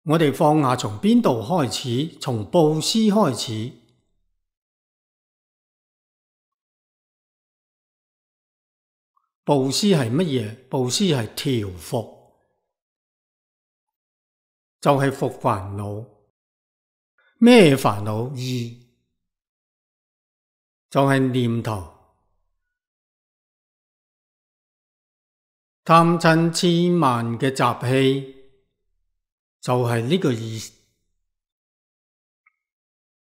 我哋放下從邊度開始？從布施開始。布施係乜嘢？布施係調伏，就係伏煩惱。咩煩惱？意，就係念頭。貪嗔癡慢嘅習氣就係呢個意思。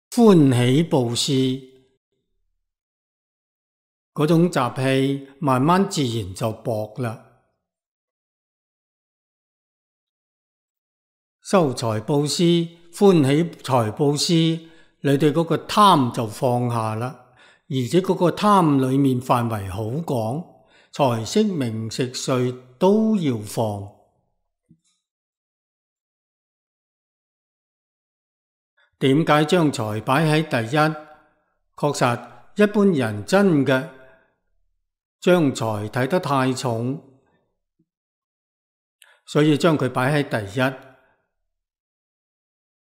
歡喜布施嗰種習氣慢慢自然就薄啦。修財布施、歡喜財布施，你哋嗰個貪就放下啦，而且嗰個貪裏面範圍好廣。財色名食睡都要放。點解將財擺喺第一？確實，一般人真嘅將財睇得太重，所以將佢擺喺第一。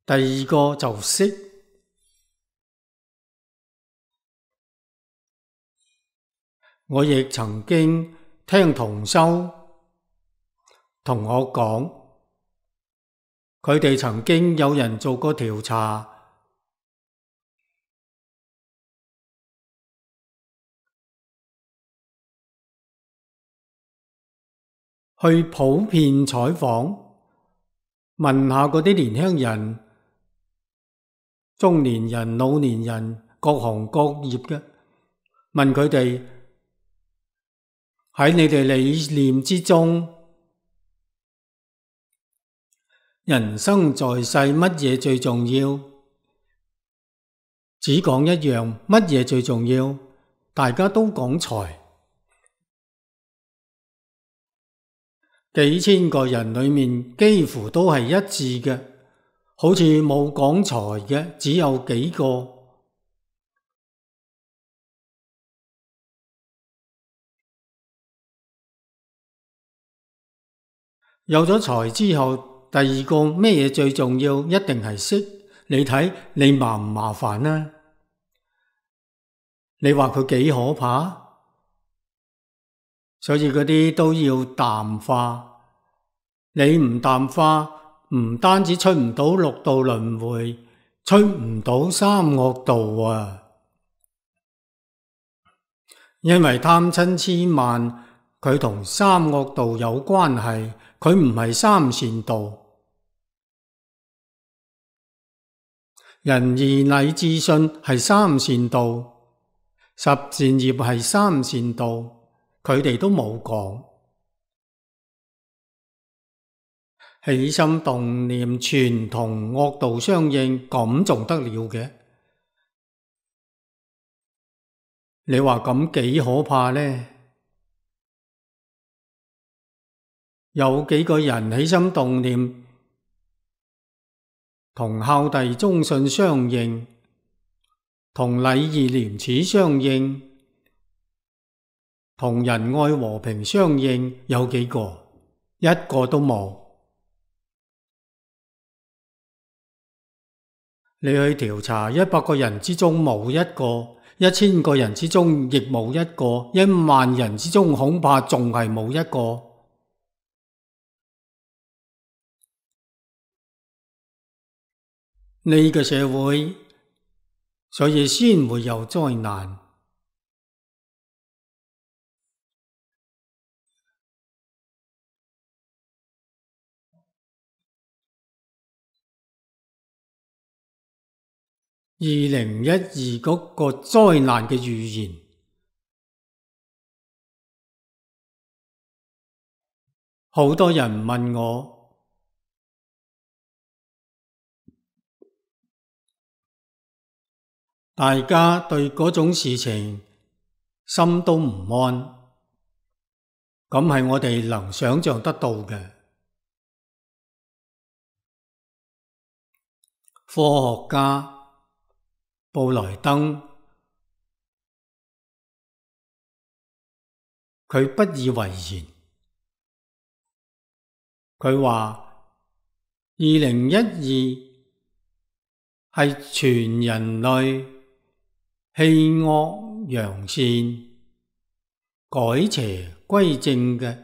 第二個就色。我亦曾經聽同修同我講，佢哋曾經有人做過調查，去普遍採訪，問下嗰啲年輕人、中年人、老年人，各行各業嘅，問佢哋喺你哋理念之中，人生在世乜嘢最重要？只講一樣，乜嘢最重要？大家都講財。幾千個人裏面幾乎都係一致嘅，好似冇講財嘅只有幾個。有咗財之後，第二個咩嘢最重要？一定係色。你睇你麻唔麻煩啊？你話佢幾可怕？所以嗰啲都要淡化。你唔淡化，唔單止出唔到六道輪迴，出唔到三惡道啊！因為貪嗔癡慢，佢同三惡道有關係，佢唔係三善道。仁義禮智信係三善道，十善業係三善道，佢哋都冇講。起心動念全同惡道相應，咁仲得了嘅？你話咁幾可怕呢？有幾個人起心動念同孝弟忠信相應，同禮義廉恥相應，同仁愛和平相應，有幾個？一個都冇。你去調查100個人之中冇一個，1000個人之中亦冇一個，10000人之中恐怕仲係冇一個。呢個社會，所以先會有災難。2012嗰個災難嘅預言，好多人問我，大家對嗰種事情心都唔安，咁係我哋能想象得到嘅。科學家布萊登，佢不以為然。佢話2012係全人類棄惡揚善、改邪歸正嘅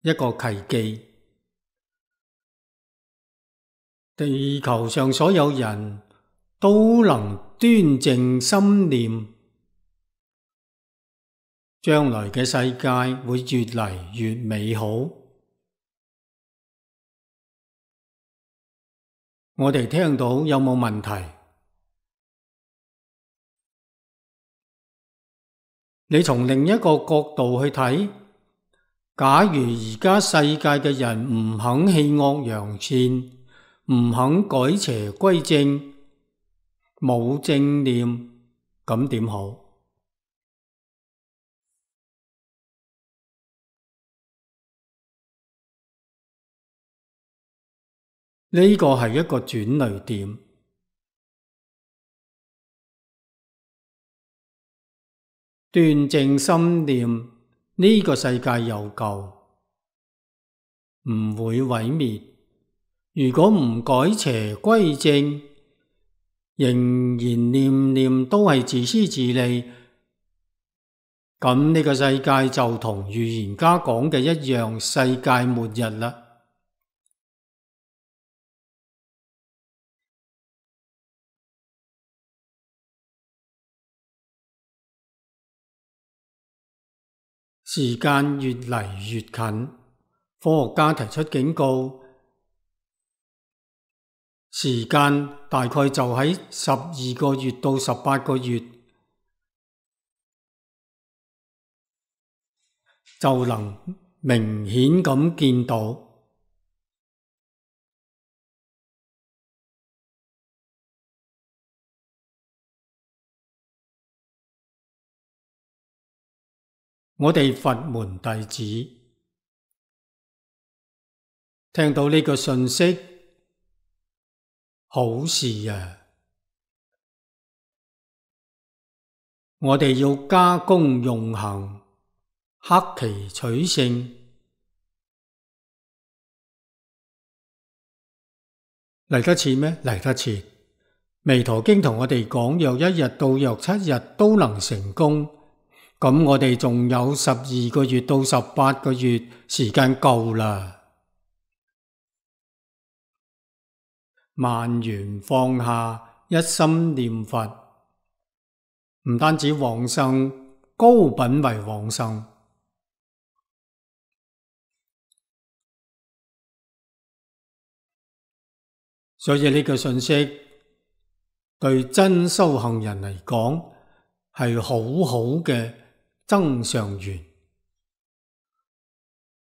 一個契機。地球上所有人都能端正心念，將來嘅世界會越嚟越美好。我哋聽到有冇問題？你從另一個角度去睇，假如而家世界嘅人唔肯棄惡揚善，唔肯改邪歸正，冇正念，咁點好？呢個係一個轉捩點。端正心念，呢個世界有救，唔會毀滅。如果唔改邪歸正，仍然念念都係自私自利，咁呢個世界就同預言家講嘅一樣，世界末日啦。時間越嚟越近，科學家提出警告，時間大概就喺12個月到18個月，就能明顯咁見到。我哋佛門弟子聽到呢個訊息，好事啊！我哋要加功用行，克期取勝。嚟得切咩？嚟得切。彌陀經同我哋講，若1日到若7日都能成功，咁我哋仲有12個月到18個月時間夠啦。萬緣放下，一心念佛，唔單止往生，高品位往生。所以呢個信息對真修行人嚟講係好好嘅增上緣。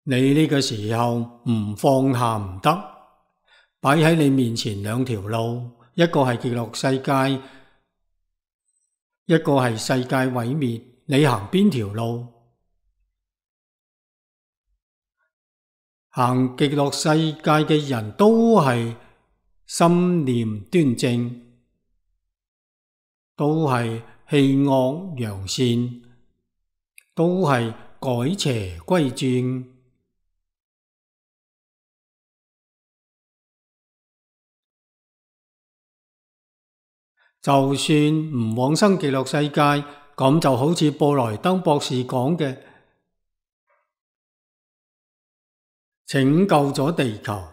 你呢個時候唔放下唔得，擺喺你面前兩條路，一個係極樂世界，一個係世界毀滅，你行邊條路？行極樂世界嘅人都係心念端正，都係棄惡揚善，都係改邪歸正。就算唔往生極樂世界，咁就好似布萊登博士講嘅，拯救咗地球，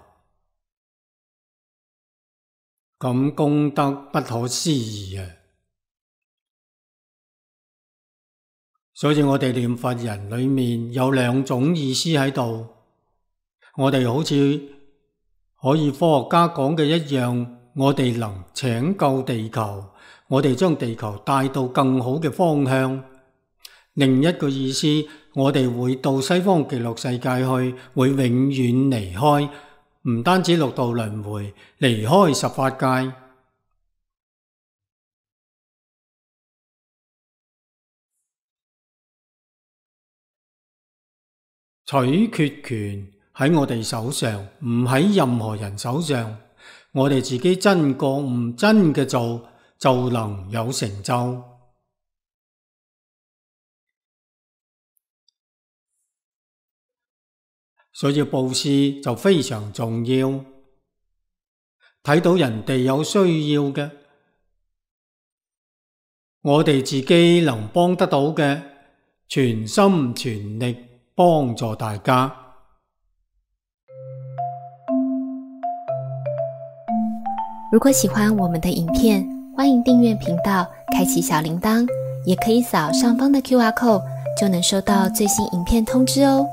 咁功德不可思議啊！所以我哋念佛人裏面有兩種意思喺度，我哋好似可以科學家講嘅一樣，我哋能拯救地球，我哋將地球帶到更好嘅方向。另一個意思，我哋會到西方極樂世界去，會永遠離開，唔單止六道輪迴，離開十法界。取決權喺我哋手上，唔喺任何人手上。我哋自己真覺悟，真嘅做，就能有成就。所以布施就非常重要。睇到人哋有需要嘅，我哋自己能幫得到嘅，全心全力幫助大家。如果喜歡我們的影片，歡迎訂閱頻道，開啟小鈴鐺，也可以掃上方的 QR code，就能收到最新影片通知哦。